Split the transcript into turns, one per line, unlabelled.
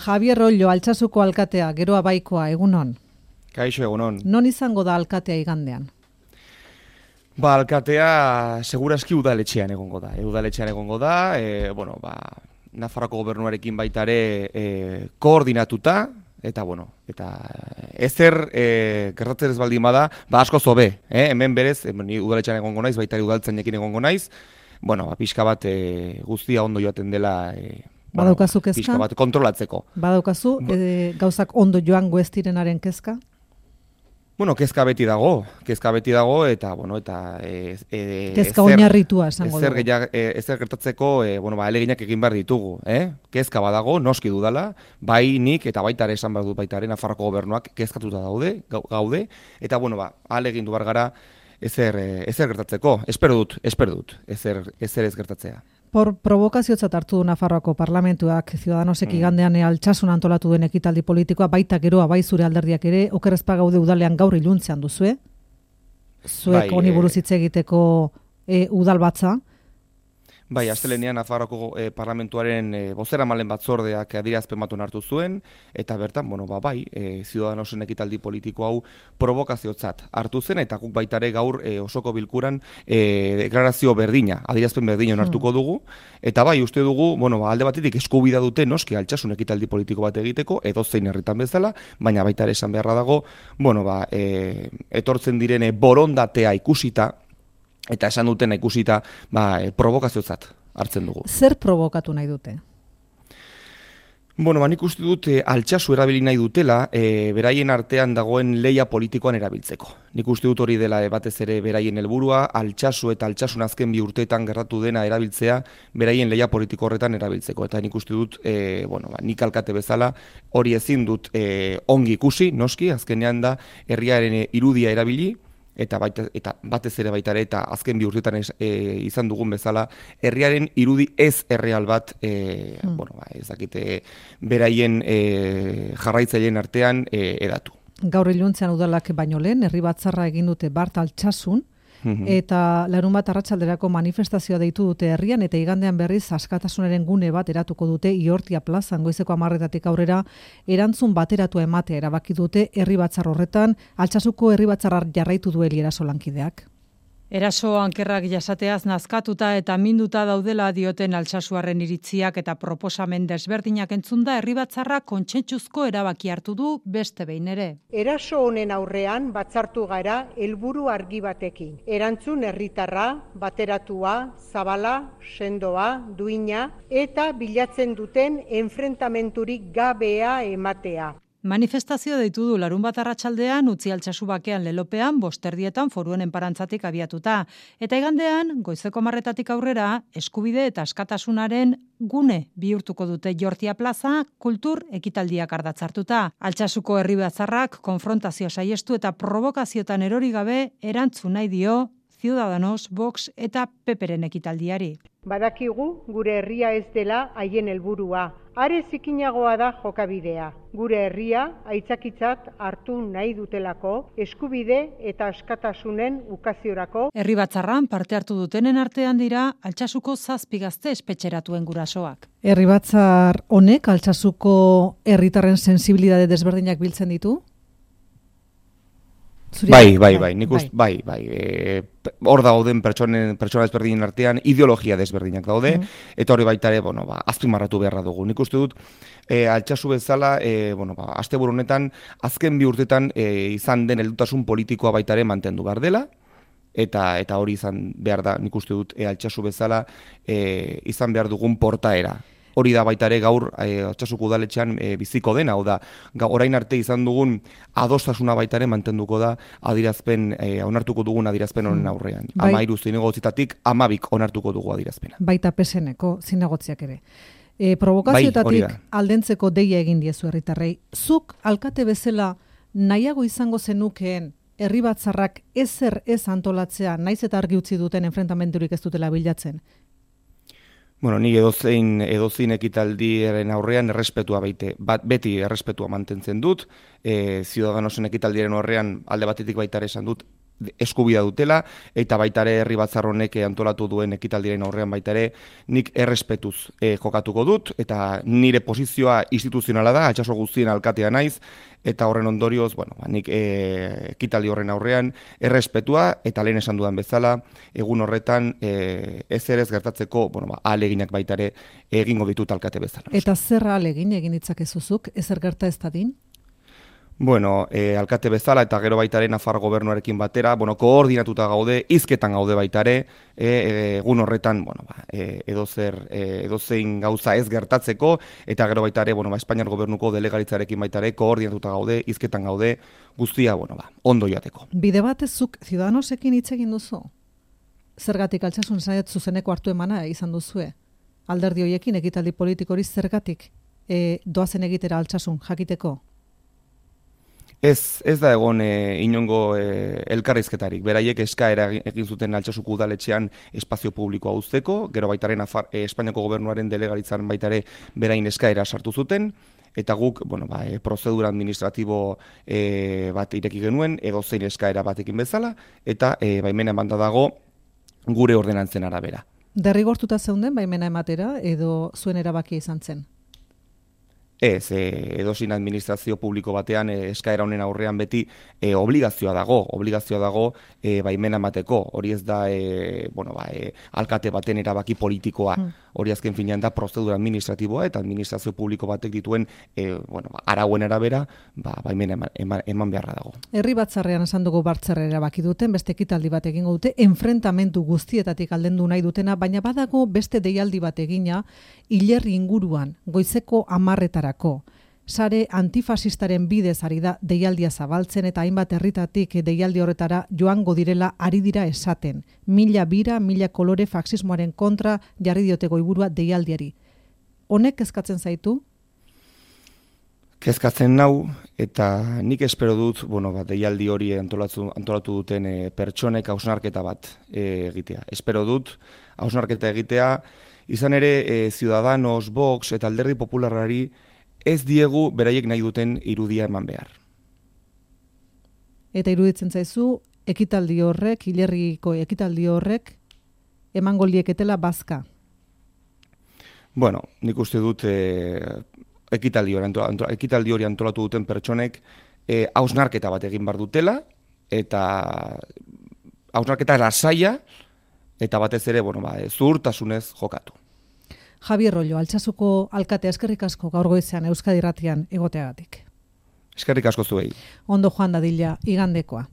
Javier Rollo, Altsasuko alkatea, Geroa Baikoa, egunon.
Kaixo, egunon.
Non izango da alkatea igandean?
Alkatea segurazki udaletxean egongo da. Nafarroako gobernuarekin baita ere koordinatuta, eta ezer gertatzen ez baldin bada, asko zobe. Hemen berez, ni udaletxean egongo naiz, baita ere udaltzainekin egongo naiz, pixka bat guztia ondo joaten dela,
Badaukazu kezka?
Pixka bat kontrolatzeko.
Badaukazu gauzak ondo joango ez direnaren kezka?
Kezka beti dago, eta
kezka oinarritua esango dugu.
Ezer gertatzeko, ahaleginak egin behar ditugu, Kezka badago, noski dudala, bai nik eta baita ere esan behar dut baita ere Nafarroako gobernuak kezkatuta gaude, eta ahalegin du behar gara ezer gertatzeko. Espero dut, ezer ez gertatzea.
Provokaziotzat hartu du Nafarroako parlamentuak Ciudadanosek igandean Altsasun antolatu den ekitaldi politikoa, baita Geroa bai zure alderdiak ere, oker ez bagaude udalean gaur iluntzean duzue. Zuek honi buruz hitz egiteko udalbatza.
Bai, astelehenean Nafarroako parlamentuaren bozeramaileen batzordeak adierazpen bat hartu zuen, eta bertan, Ciudadanosen ekitaldi politiko hau provokaziotzat hartu zen, eta guk baita ere gaur osoko bilkuran deklarazio berdina, adierazpen berdina onartuko dugu, eta bai, uste dugu, alde batetik eskubidea dute noski Altsasun ekitaldi politiko bat egiteko, edozein herritan bezala, baina baita ere esan beharra dago, etortzen direne borondatea ikusita, eta esan dutena ikusita, provokaziotzat hartzen dugu.
Zer provokatu nahi dute?
Nik uste dut Altsasu erabili nahi dutela, beraien artean dagoen lehia politikoan erabiltzeko. Nik uste dut hori dela batez ere beraien helburua, Altsasu eta Altsasun azken 2 urteetan gertatu dena erabiltzea, beraien lehia politiko horretan erabiltzeko. Eta nik uste dut, nik alkate bezala, hori ezin dut ongi ikusi, noski, azkenean da herriaren irudia erabili, eta batez ere baita ere, eta azken 2 urtetan izan dugun bezala, herriaren irudi ez erreal bat, ez dakite, beraien jarraitzaileen artean edatu.
Gaur iluntzean udalak baino lehen, herri batzarra egin dute Bart Altsasun, eta larunbat arratsalderako manifestazioa deitu dute herrian, eta igandean berriz askatasunaren gune bat eratuko dute Iortia plazan goizeko 10:00 aurrera erantzun bateratua ematea erabaki dute herri batzar horretan. Altsasuko herri batzarra jarraitu du Eraso lankideak.
Eraso ankerrak jasateaz nazkatuta eta minduta daudela dioten Altsasuarren iritziak eta proposamen desberdinak entzunda herri batzarra kontsentsuzko erabaki hartu du beste behin ere.
Eraso honen aurrean batzartu gara helburu argi batekin. Erantzun herritarra, bateratua, zabala, sendoa, duina eta bilatzen duten enfrentamenturik gabea ematea.
Manifestazio deitu du larunbat arratsaldean utzi Altsasu bakean lelopean 5:00 foruen enparantzatik abiatuta. Eta igandean, goizeko 10:00 aurrera, eskubide eta askatasunaren gune bihurtuko dute Iortia plaza kultur ekitaldiak ardatzartuta. Altsasuko herri batzarrak konfrontazio saiestu eta provokaziotan erori gabe erantzun nahi dio Ciudadanos, Vox eta Peperen ekitaldiari.
Badakigu gure herria ez dela haien helburua. Are zikinagoa da jokabidea. Gure herria aitzakitzat hartu nahi dutelako eskubide eta askatasunen ukaziorako.
Herri batzarran parte hartu dutenen artean dira Altsasuko 7 gazte espetxeratuen gurasoak.
Herri batzar honek Altsasuko herritarren sensibilitate desberdinak biltzen ditu?
Bai. Hor dauden pertsona desberdinen artean ideologia desberdinak daude, eta hori baita ere, azpimarratu beharra dugu. Nik uste dut, Altsasu bezala, asteburu honetan, azken 2 urtetan izan den heldutasun politikoa baita ere mantendu behar dela, eta hori izan behar da, nik uste dut, Altsasu bezala izan behar dugun portaera. Hori da baita ere gaur Altsasuko udaletxean biziko dena, hau da, orain arte izan dugun adostasuna baita ere mantenduko da onartuko dugun adierazpen honen aurrean. 13 zinegotzitatik 12 onartuko dugu adierazpena.
Baita PSN-eko zinegotziak ere. Provokazioetatik aldentzeko deia egin diezu herritarrei. Zuk alkate bezala nahiago izango zenukeen herri batzarrak ezer ez antolatzea, naiz eta argi utzi duten enfrentamenturik ez dutela bilatzen?
Ni edozein ekitaldiaren aurrean errespetua beti errespetua mantentzen dut. Ciudadanosen ekitaldiaren aurrean alde batetik baita ere esan dut eskubidea dutela, eta baita ere herri batzar honek antolatu duen ekitaldiaren aurrean baita ere nik errespetuz jokatuko dut, eta nire posizioa instituzionala da, Altsasu guztien alkatea naiz, eta horren ondorioz, nik ekitaldi horren aurrean errespetua, eta lehen esan dudan bezala, egun horretan ez ere ez gertatzeko, ahaleginak baita ere egingo ditut alkate bezala.
Eta zer ahalegin egin ditzakezuzuk, ezer gerta ez dadin?
Alkate bezala eta gero baitare Nafar gobernuarekin batera, koordinatuta gaude, hizketan gaude baitare, egun horretan, edozein gauza ez gertatzeko, eta gero baitare, Espainiar gobernuko delegaritzarekin baitare, koordinatuta gaude, hizketan gaude, guztia, ondo joateko.
Bide batez zuk Ciudadanosekin hitz egin duzu? Zergatik Altsasun zaiat zuzeneko hartu emana izan duzue? Alderdi hoiekin ekitaldi politikori zergatik doazen egitera Altsasun jakiteko?
Ez da egon inongo elkarrizketarik. Beraiek eskaera egin zuten Altsasuko udaletxean espazio publikoa uzteko, gero baitaren Espainiako gobernuaren delegaritzaren baitare berain eskaera sartu zuten, eta guk, prozedura administratibo bat ireki genuen, edozein eskaera batekin bezala, eta baimena emanda dago gure ordenantzen arabera.
Derrigortuta zeunden baimena ematera, edo zuen erabakia izan zen?
Ez, edozein administrazio publiko batean eskaera honen aurrean beti obligazioa dago baimena emateko. Hori ez da alkate baten erabaki politikoa. Hori azken finean da prozedura administratiboa eta administrazio publiko batek dituen arauen arabera baimena eman beharra dago.
Herri batzarrean esan dugu batzarra erabaki duten, beste ekitaldi bat egingo dute, enfrentamendu guztietatik aldendu nahi dutena, baina badago beste deialdi bat egina hilerri inguruan, goizeko 10:00 Sare antifasistaren bidez ari da deialdia zabaltzen eta hainbat herritatik deialdi horretara joango direla ari dira esaten. 1000 bira, 1000 kolore faxismoaren kontra jarri diote goiburua deialdiari. Honek kezkatzen zaitu?
Kezkatzen nau, eta nik espero dut, deialdi hori antolatu duten pertsonek hausnarketa bat egitea. Espero dut hausnarketa egitea, izan ere Ciudadanos, Vox eta Alderdi Popularrari ez diegu beraiek nahi duten irudia eman behar.
Eta iruditzen zaizu, ekitaldi horrek, hilerriko ekitaldi horrek, emango lieketela bazka?
Nik uste dut ekitaldi hori antolatu duten pertsonek hausnarketa bat egin behar dutela, eta hausnarketa lasaia, eta batez ere, zuhurtasunez jokatu.
Javier Rollo, Altsasuko alkatea, eskerrik asko gaur goizean Euskadi Irratian egoteagatik.
Eskerrik asko zuei.
Ondo joan dadila igandekoa.